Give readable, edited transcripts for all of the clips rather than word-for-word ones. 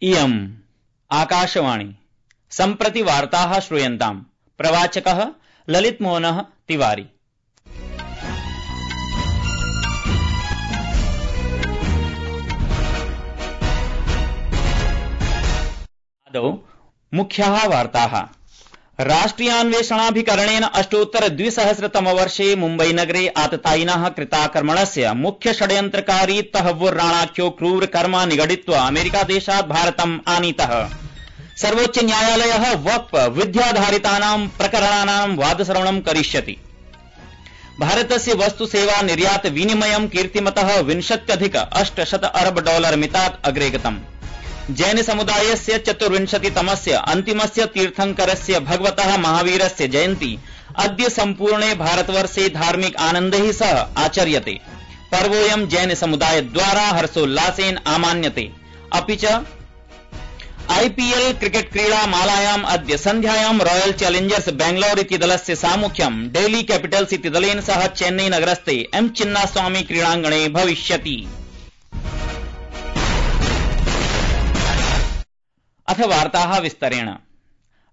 इयम् आकाशवाणी सम्प्रति वार्ताः श्रूयन्ताम्। प्रवाचकः ललित मोहनः तिवारी। आदौ मुख्याः वार्ताः। राष्ट्रियान्वेषणाभिकरणेन अष्टोत्तर 2000 मुम्बई नगरे आततायिनः कृताक्रमणस्य मुख्य षड्यन्त्रकारी तहव्वुर राणाख्यो क्रूरकर्मा निगडित्वा अमेरिकादेशात् भारतम् आनीतः। सर्वोच्च न्यायालयः वक्फ विध्याधारितानां प्रकरणानां वादश्रवणं करिष्यति। भारतस्य वस्तु सेवा निर्यात विनिमयं कीर्तिमतः 20,800 अरब डॉलर मितात् अग्रे गतम्। जैन समुदायस्य 24तमस्य अन्तिमस्य तीर्थंकरस्य भगवतः महावीरस्य जयन्ती अद्य सम्पूर्णे भारतवर्षे धार्मिक आनन्दैः सह आचर्यते। पर्वोऽयं जैन समुदायद्वारा हर्षोल्लासेन आमान्यते। अपि च आईपीएल क्रिकेट क्रीडा मालायाम् अद्य सन्ध्यायां रॉयल चैलेंजर्स बेंगलौर इति दलस्य सामुख्यं डेल्ही कैपिटल्स इति दलेन सह चेन्नई नगरस्थे एम चिन्नास्वामी क्रीडाङ्गणे भविष्यति। अथ वार्ताः विस्तरेण।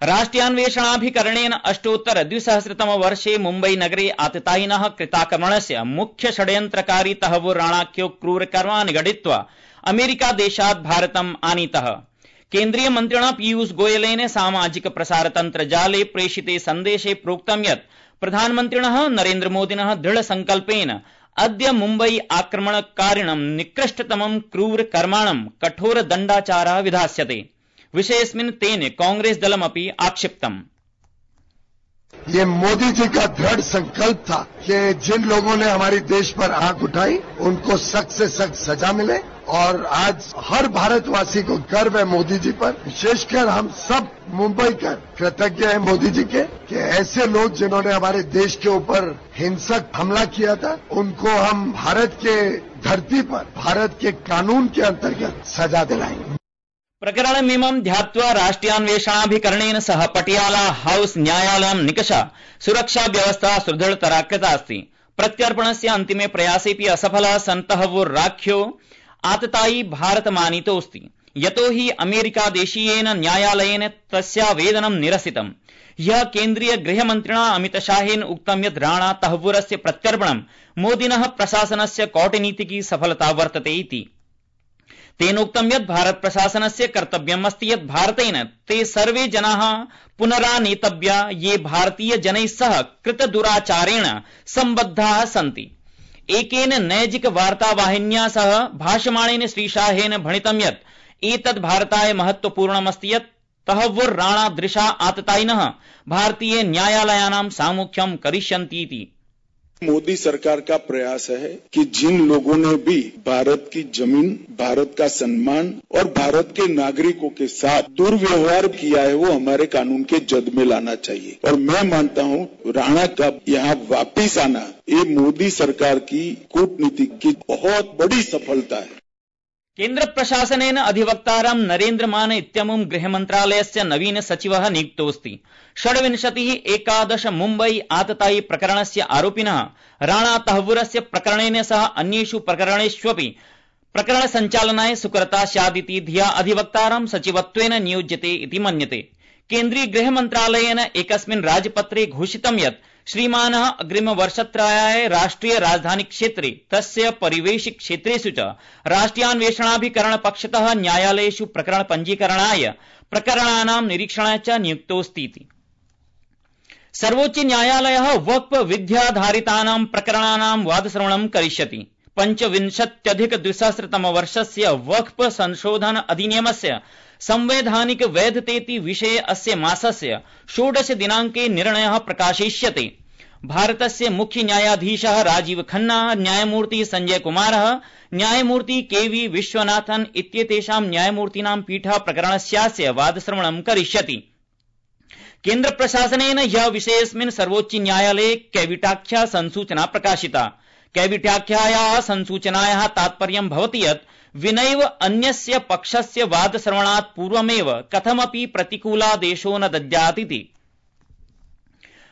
राष्ट्रियान्वेषणाभिकरणेन अष्टोत्तर 2000 मुम्बई नगरे आततायिनः कृताक्रमणस्य मुख्य षड्यन्त्रकारी तहव्वुर राणाख्यो क्रूरकर्मा निगडित्वा अमेरिकादेशात् भारतम् आनीतः। केन्द्रीय मन्त्रिणा पीयूष गोयलेन सामाजिक प्रसारतन्त्रजाले प्रेषिते सन्देशे प्रोक्तं यत् प्रधानमन्त्रिणः नरेन्द्र मोदिनः दृढ संकल्पेन अद्य मुम्बई आक्रमणकारिणं निकृष्टतमं क्रूरकर्माणं कठोर दण्डाचारः विधास्यते। विषयेऽस्मिन् तेन कांग्रेस दलमपि आक्षिप्तम्। ये मोदी जी का दृढ़ संकल्प था कि जिन लोगों ने हमारे देश पर आंख उठाई उनको सख्त से सख्त सजा मिले, और आज हर भारतवासी को गर्व है मोदी जी पर। विशेषकर हम सब मुंबईकर कृतज्ञ हैं मोदी जी के कि ऐसे लोग जिन्होंने हमारे देश के ऊपर हिंसक हमला किया था उनको हम भारत के धरती पर भारत के कानून के अंतर्गत सजा दिलाएंगे। प्रकरणमिमं ध्यात्वा राष्ट्रियान्वेषणाभिकरणेन सह पटियाला हाउस न्यायालयं निकषा सुरक्षा व्यवस्था सुदृढतरा कृता अस्ति। प्रत्यर्पणस्य अन्तिमे प्रयासेऽपि असफलः सन्तहव्वुर राख्यो आततायी भारतमानीतोऽस्ति, यतो हि अमेरिकादेशीयेन न्यायालयेन तस्यावेदनं निरसितम्। ह्यः केन्द्रीय गृहमन्त्रिणा अमितशाहेन उक्तं यत् राणा तहव्वुरस्य प्रत्यर्पणं मोदिनः प्रशासनस्य कौटनीतिकी सफलता वर्तते इति। तेनोक्तं यत् भारत प्रशासनस्य कर्तव्यम् अस्ति यत् भारतेन ते सर्वे जनाः पुनरानीतव्या ये भारतीय जनैः सह कृतदुराचारेण सम्बद्धाः सन्ति। एकेन नैजिक वार्तावाहिन्या सह भाषमाणेन श्रीशाहेन भणितं यत् एतद् भारताय महत्वपूर्णमस्ति यत् तहव्वुर राणा दृशा आततायिनः भारतीय न्यायालयानां सामुख्यं करिष्यन्ति इति। मोदी सरकार का प्रयास है कि जिन लोगों ने भी भारत की जमीन, भारत का सम्मान और भारत के नागरिकों के साथ दुर्व्यवहार किया है वो हमारे कानून के जद में लाना चाहिए। और मैं मानता हूँ राणा का यहाँ वापिस आना ये मोदी सरकार की कूटनीति की बहुत बड़ी सफलता है। केन्द्र प्रशासनेन अधिवक्तारं नरेन्द्र मान इत्यमुं गृहमन्त्रालयस्य नवीन सचिवः नियुक्तोऽस्ति। 11 मुम्बई आततायी प्रकरणस्य आरोपिनः राणा तहव्वुरस्य प्रकरणेन सह अन्येषु प्रकरणेष्वपि प्रकरण सञ्चालनाय सुकरता स्यादिति धिया अधिवक्तारं सचिवत्वेन नियोज्यते इति मन्यते। केन्द्रीय गृहमन्त्रालयेन एकस्मिन् राजपत्रे घोषितं यत् श्रीमानः अग्रिमवर्षत्रयाय राष्ट्रिय राजधानी क्षेत्रे तस्य परिवेशि क्षेत्रेषु च राष्ट्रियान्वेषणाभिकरण पक्षतः न्यायालयेषु प्रकरण पञ्जीकरणाय प्रकरणानां निरीक्षणाय च नियुक्तोऽस्ति। सर्वोच्च न्यायालयः वक्फ विध्याधारितानां प्रकरणानां वादश्रवणं करिष्यति। 25,200 वर्षस्य वक्फ संशोधन अधिनियमस्य संवैधानिक वैधतेति विषये अस्य मासस्य 16 दिनाङ्के निर्णयः प्रकाशयिष्यते। भारतस्य मुख्य न्यायाधीशः राजीव खन्ना, न्यायमूर्ति संजय कुमारः, न्यायमूर्ति केवी विश्वनाथन इत्येतेषां न्यायमूर्तीनां पीठः प्रकरणस्यास्य वादश्रवणं करिष्यति। केन्द्र प्रशासनेन ह्यः विषयेऽस्मिन् सर्वोच्च न्यायालये कैविटाख्या संसूचना प्रकाशिता। कैविटाख्यायाः संसूचनायाः तात्पर्यं भवति यत् विनैव अन्यस्य पक्षस्य वादश्रवणात् पूर्वमेव कथमपि प्रतिकूलादेशो न दद्यात् इति।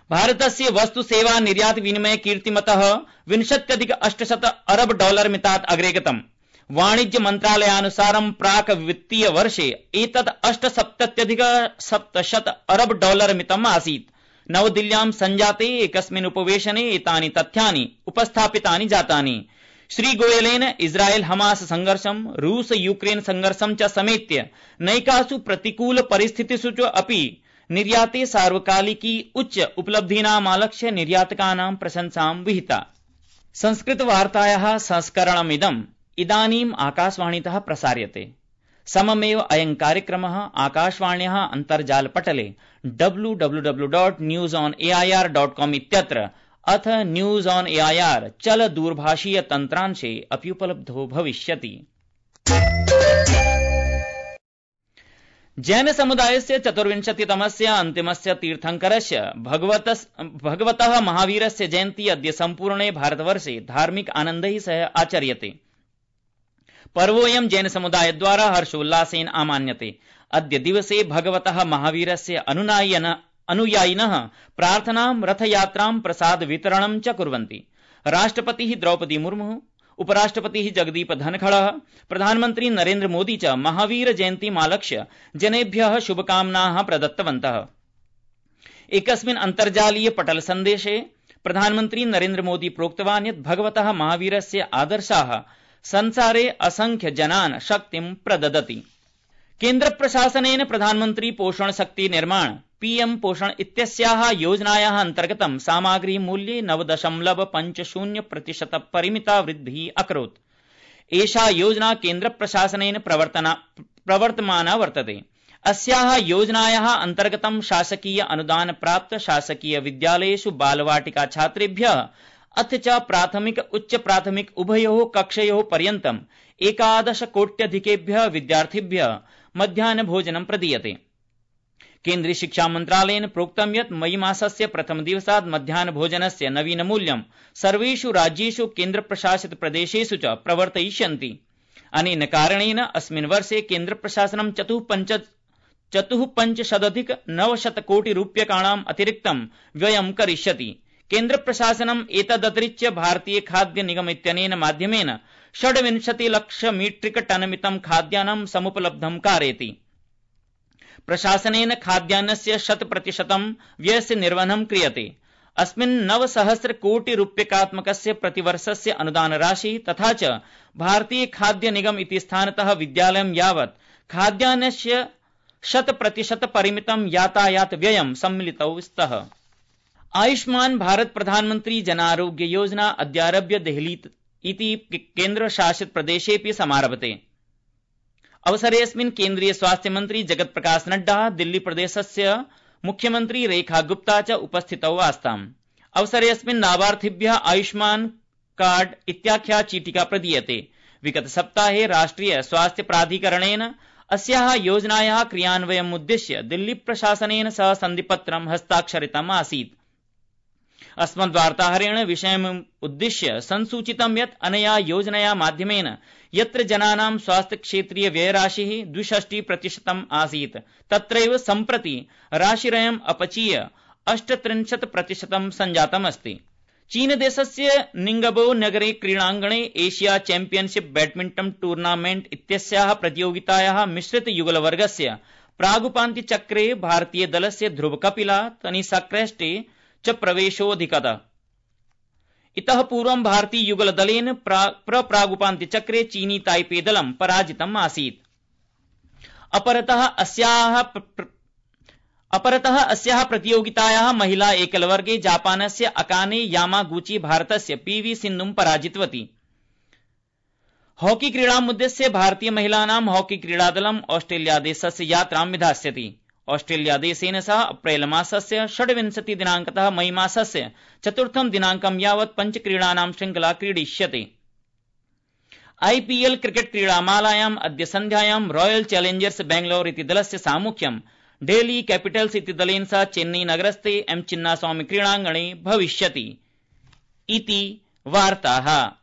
भारतस्य वस्तु सेवा निर्यात विनिमय कीर्तिमतः 20,800 अरब डॉलर मितात् अग्रे गतम्। वाणिज्य मन्त्रालयानुसारं प्राक् वित्तीय वर्षे एतद् 870,700 अरब डॉलर मितम् आसीत्। नवदिल्ल्यां सञ्जाते एकस्मिन् उपवेशने एतानि तथ्यानि उपस्थापितानि जातानि। श्रीगोयलेन इस्राएल हमास संघर्षं, रूस यूक्रेन संघर्षं च समेत्य नैकासु प्रतिकूल परिस्थितिषु च अपि निर्याते सार्वकालिकी उच्च उपलब्धीनामालक्ष्य निर्यातकानां प्रशंसां विहिता। संस्कृतवार्तायाः संस्करणमिदम् इदानीम् आकाशवाणीतः प्रसार्यते। सममेव अयं कार्यक्रमः आकाशवाण्याः अन्तर्जालपटले www.newsonair.com इत्यत्र अथ न्यूज ऑन एआईआर चल दूरभाषीय तन्त्रांशे अपि उपलब्धो भविष्यति। जैन समुदायस्य 24तमस्य अन्तिमस्य तीर्थंकरस्य भगवतः महावीरस्य जयन्ती अद्य सम्पूर्णे भारतवर्षे धार्मिक आनन्दैः सह आचर्यते। पर्वोऽयं जैन समुदायद्वारा हर्षोल्लासेन आमान्यते। अद्य दिवसे भगवतः महावीरस्य अनुयायिनः प्रार्थनां, रथयात्रां, प्रसाद वितरणं च कुर्वन्ति। राष्ट्रपतिः द्रौपदी मुर्मुः, उपराष्ट्रपतिः जगदीप धनखड़ः, प्रधानमन्त्री नरेन्द्र मोदी च महावीर जयन्तीमालक्ष्य जनेभ्यः शुभकामनाः प्रदत्तवन्तः। एकस्मिन् अन्तर्जालीय पटल सन्देशे प्रधानमन्त्री नरेन्द्र मोदी प्रोक्तवान् यत् भगवतः महावीरस्य आदर्शाः संसारे असंख्य जनान् शक्तिं प्रददति। केन्द्र प्रशासनेन प्रधानमन्त्री पोषण शक्ति निर्माण पीएम पोषण इत्यस्याः योजनायाः अन्तर्गतं सामग्री मूल्ये 9.50% परिमिता वृद्धिः अकरोत्। एषा योजना केन्द्र प्रशासनेन प्रवर्तमाना वर्तते। अस्याः योजनायाः अन्तर्गतं शासकीय अनुदान प्राप्त शासकीय विद्यालयेषु बालवाटिका छात्रेभ्यः अथ च प्राथमिक उच्च प्राथमिक उभयोः कक्षयोः पर्यन्तं 11 कोट्यधिकेभ्यः विद्यार्थिभ्यः मध्याह्न भोजनं प्रदीयते। केन्द्रीय शिक्षा मन्त्रालयेन प्रोक्तं यत् मई मासस्य प्रथम दिवसात् मध्याह्न भोजनस्य नवीनमूल्यं सर्वेषु राज्येषु केन्द्रप्रशासित प्रदेशेषु च प्रवर्तयिष्यन्ति। अनेन कारणेन अस्मिन् वर्षे केन्द्रप्रशासनं 4,500,900 कोटि रूप्यकाणाम् अतिरिक्तं व्ययं करिष्यति। केन्द्रप्रशासनम् एतदतिरिच्य भारतीय खाद्य निगम इत्यनेन माध्यमेन 26 लाख मीट्रिक टन मितं खाद्यान्नं समुपलब्धं कारयति। प्रशासनेन खाद्यान्नस्य 100% व्ययस्य निर्वहणं क्रियते। अस्मिन् 900 कोटि रूप्यकात्मकस्य प्रतिवर्षस्य अनुदान राशि तथा च भारतीय खाद्य निगम इति स्थानतः विद्यालयं यावत् खाद्यान्नस्य 100% परिमितं यातायात व्ययं सम्मिलितौ स्तः। आयुष्मान भारत प्रधानमंत्री जन आरोग्य योजना अद्यारभ्य देहली इति केन्द्रशासित प्रदेशेऽपि समारभते। अवसरेऽस्मिन् केन्द्रीय स्वास्थ्य मंत्री जगत प्रकाश नड्डा, दिल्ली प्रदेशस्य मुख्यमंत्री रेखा गुप्ता च उपस्थितौ आस्ताम्। अवसरेऽस्मिन् लाभार्थिभ्यः आयुष्मान कार्ड इत्याख्या चीटिका प्रदीयते। विगत सप्ताहे राष्ट्रिय स्वास्थ्य प्राधिकरणेन अस्याः योजनायाः क्रियान्वयमुद्दिश्य दिल्ली प्रशासनेन सह सन्धिपत्रं हस्ताक्षरितम् आसीत्। अस्मद्वार्ताहरेण विषयमुद्दिश्य संसूचितं यत् अनया योजनया माध्यमेन यत्र जनानां स्वास्थ्य क्षेत्रीय व्ययराशिः 62% आसीत् तत्रैव सम्प्रति राशिरयम् अपचीय 38% सञ्जातमस्ति। चीनदेशस्य निंगबो नगरे क्रीडाङ्गणे एशिया चैम्पियनशिप बैडमिंटन टूर्नामेंट इत्यस्याः प्रतियोगितायाः मिश्रित युगलवर्गस्य प्रागुपान्त्यचक्रे भारतीय दलस्य ध्रुव कपिला, तनिषा क्रेस्टे च प्रवेशोऽधिगत। इतः पूर्वं भारतीय युगल दलेन प्रागुपान्त्यचक्रे चीनी ताइपे दलं पराजितम् आसीत्। अपरतः अस्याः प्रतियोगितायाः महिला एकलवर्गे जापानस्य अकाने यामागुची भारतस्य पीवी सिन्धुं पराजितवती। हॉकी क्रीडामुद्दिश्य भारतीय महिलानां हॉकी क्रीडादलं ऑस्ट्रेलिया देशस्य यात्रां विधास्यति। ऑस्ट्रेलिया देशेन सह अप्रैल मासस्य 26 दिनांकतः मई मासस्य 4 दिनांकं यावत् 5 क्रीडानां श्रृंखला क्रीडिष्यते। आईपीएल क्रिकेट क्रीडामालायाम् अद्य सन्ध्यायां रॉयल चैलेंजर्स बेंगलौर इति दलस्य सामुख्यं डेल्ही कैपिटल्स इति दलेन सह चेन्नई नगरस्थे एम चिन्नास्वामी क्रीडाङ्गणे भविष्यति। इति वार्ताः।